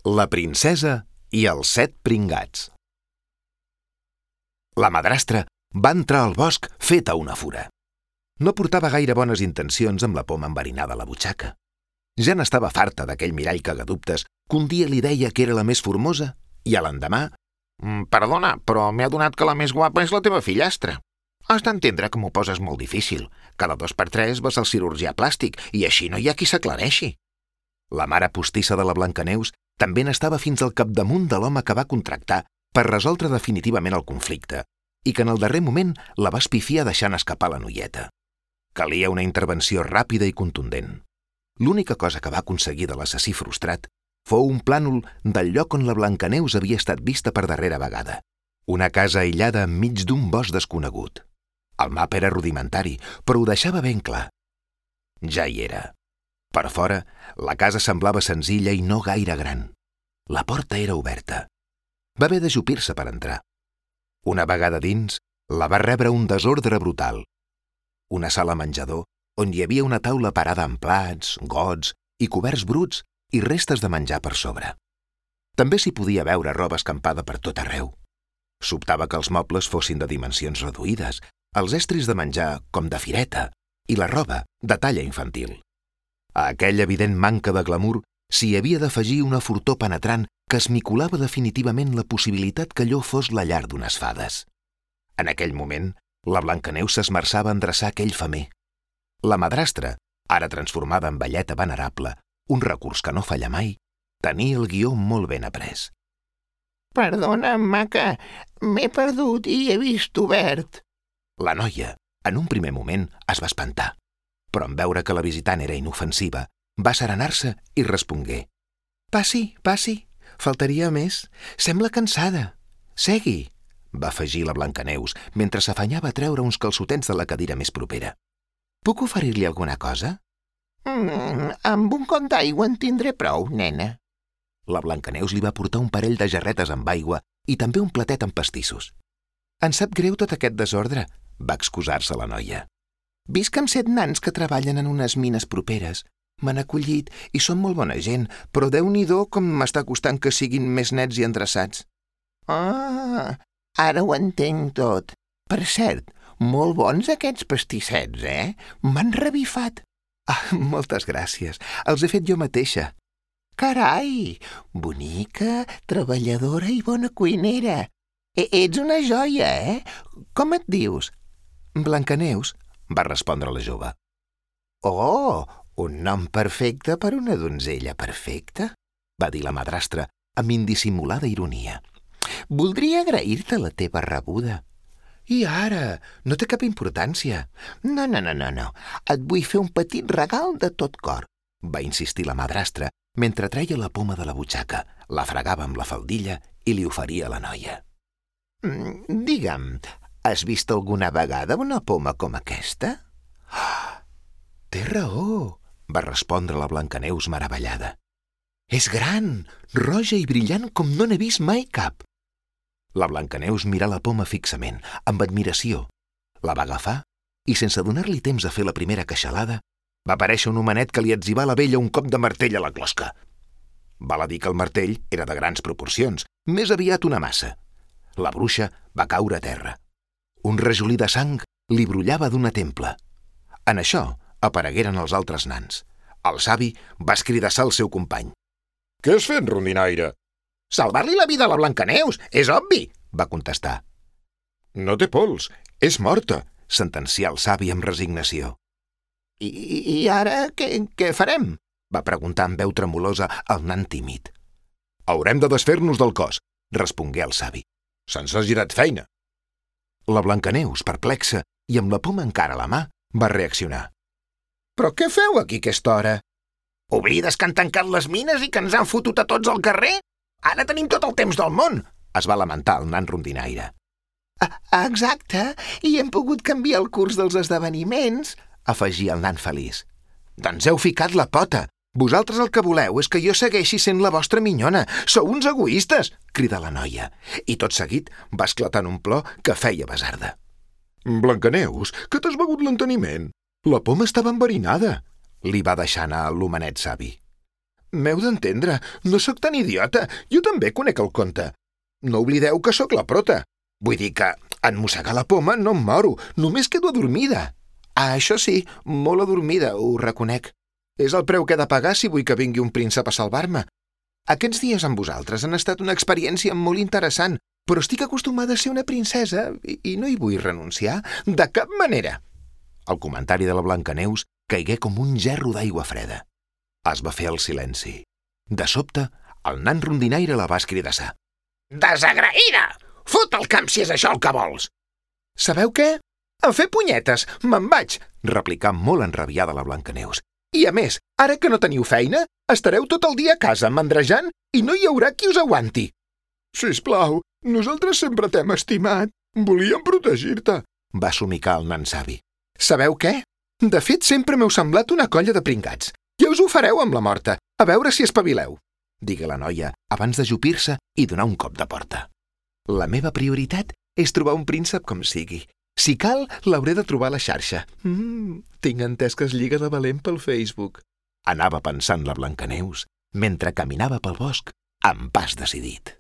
La princesa i els 7 pringats. La madrastra va entrar al bosc feta una fura. No portava gaire bones intencions amb la poma enverinada a la butxaca. Ja n'estava farta d'aquell mirall cagadubtes que un dia li deia que era la més formosa i a l'endemà Perdona, però m'he adonat que la més guapa és la teva fillastra. Has d'entendre que m'ho poses molt difícil. Cada 2 per 3 vas al cirurgià plàstic i així no hi ha qui s'aclareixi. La mare postissa de la Blancaneus també n'estava fins al capdamunt de l'home que va contractar per resoldre definitivament el conflicte i que en el darrer moment la va espifiar deixant escapar la noieta. Calia una intervenció ràpida i contundent. L'única cosa que va aconseguir de l'assassí frustrat fou un plànol del lloc on la Blancaneus havia estat vista per darrera vegada. Una casa aïllada enmig d'un bosc desconegut. El mapa era rudimentari, però ho deixava ben clar. Ja hi era. Per fora, la casa semblava senzilla i no gaire gran. La porta era oberta. Va haver d'ajupir-se per entrar. Una vegada dins, la va rebre un desordre brutal. Una sala menjador on hi havia una taula parada amb plats, gots i coberts bruts i restes de menjar per sobre. També s'hi podia veure roba escampada per tot arreu. Sobtava que els mobles fossin de dimensions reduïdes, els estris de menjar com de fireta i la roba de talla infantil. A aquella evident manca de glamour s'hi havia d'afegir una fortor penetrant que esmicolava definitivament la possibilitat que allò fos la llar d'unes fades. En aquell moment, la Blancaneus s'esmerçava a endreçar aquell femer. La madrastra, ara transformada en velleta venerable, un recurs que no falla mai, tenia el guió molt ben après. Perdona, maca, m'he perdut i he vist obert. La noia, en un primer moment, es va espantar, però en veure que la visitant era inofensiva, va serenar-se i respongué. Passi, passi, faltaria més. Sembla cansada. Segui, va afegir la Blancaneus mentre s'afanyava a treure uns calçotets de la cadira més propera. Puc oferir-li alguna cosa? Amb un got d'aigua en tindré prou, nena. La Blancaneus li va portar un parell de jarretes amb aigua i també un platet amb pastissos. Em sap greu tot aquest desordre, va excusar-se la noia. Visc amb 7 nans que treballen en unes mines properes. M'han acollit i són molt bona gent, però Déu-n'hi-do com m'està costant que siguin més nets i endreçats. Ah, ara ho entenc tot. Per cert, molt bons aquests pastissets, M'han revifat. Moltes gràcies. Els he fet jo mateixa. Carai, bonica, treballadora i bona cuinera. Ets una joia, Com et dius? Blancaneus, va respondre la jove. Oh, un nom perfecte per una donzella perfecta, va dir la madrastra amb indissimulada ironia. Voldria agrair-te la teva rebuda. I ara? No té cap importància. No. Et vull fer un petit regal de tot cor, va insistir la madrastra mentre treia la poma de la butxaca, la fregava amb la faldilla i li oferia a la noia. Digue'm, has vist alguna vegada una poma com aquesta? Té raó, va respondre la Blancaneus meravellada. És gran, roja i brillant com no n'he vist mai cap. La Blancaneus mirà la poma fixament, amb admiració. La va agafar i, sense donar-li temps a fer la primera queixalada, va aparèixer un homenet que li etzibà a la vella un cop de martell a la closca. Val a dir que el martell era de grans proporcions, més aviat una massa. La bruixa va caure a terra. Un rajolí de sang li brollava d'una templa. En això aparegueren els altres nans. El savi va escridassar al seu company. Què has fet, rondinaire? Salvar-li la vida a la Blancaneus, és obvi, va contestar. No té pols, és morta, sentencià el savi amb resignació. I ara què farem? Va preguntar amb veu tremolosa el nan tímid. Haurem de desfer-nos del cos, respongué el savi. Se'ns ha girat feina. La Blancaneus, perplexa i amb la poma encara a la mà, va reaccionar. Però què feu aquí a aquesta hora? Oblides que han tancat les mines i que ens han fotut a tots al carrer? Ara tenim tot el temps del món, es va lamentar el nan rondinaire. Exacte, i hem pogut canviar el curs dels esdeveniments, afegia el nan feliç. Doncs heu ficat la pota. Vosaltres el que voleu és que jo segueixi sent la vostra minyona. Sou uns egoistes, cridà la noia, i tot seguit va esclatar en un plor que feia basarda. Blancaneus, que t'has begut l'enteniment? La poma estava enverinada, li va deixar anar l'homenet savi. M'heu d'entendre, no sóc tan idiota. Jo també conec el conte. No oblideu que sóc la prota. Vull dir que en mossegar la poma no em moro, només quedo adormida. Ah, això sí, molt adormida, ho reconec. És el preu que he de pagar si vull que vingui un príncep a salvar-me. Aquests dies amb vosaltres han estat una experiència molt interessant, però estic acostumada a ser una princesa i no hi vull renunciar de cap manera. El comentari de la Blancaneus caigué com un gerro d'aigua freda. Es va fer el silenci. De sobte, el nan rondinaire la va escridassar. Desagraïda! Fot el camp si és això el que vols! Sabeu què? A fer punyetes, me'n vaig, replicà molt enrabiada la Blancaneus. I a més, ara que no teniu feina, estareu tot el dia a casa mandrejant i no hi haurà qui us aguanti. Sisplau, nosaltres sempre t'hem estimat. Volíem protegir-te, va somicar el nan savi. Sabeu què? De fet, sempre m'heu semblat una colla de pringats. Ja us ho fareu amb la morta, a veure si espavileu, digué la noia abans d'ajupir-se i donar un cop de porta. La meva prioritat és trobar un príncep com sigui. Si cal, l'hauré de trobar a la xarxa. Tinc entès que es lliga de valent pel Facebook. Anava pensant la Blancaneus mentre caminava pel bosc amb pas decidit.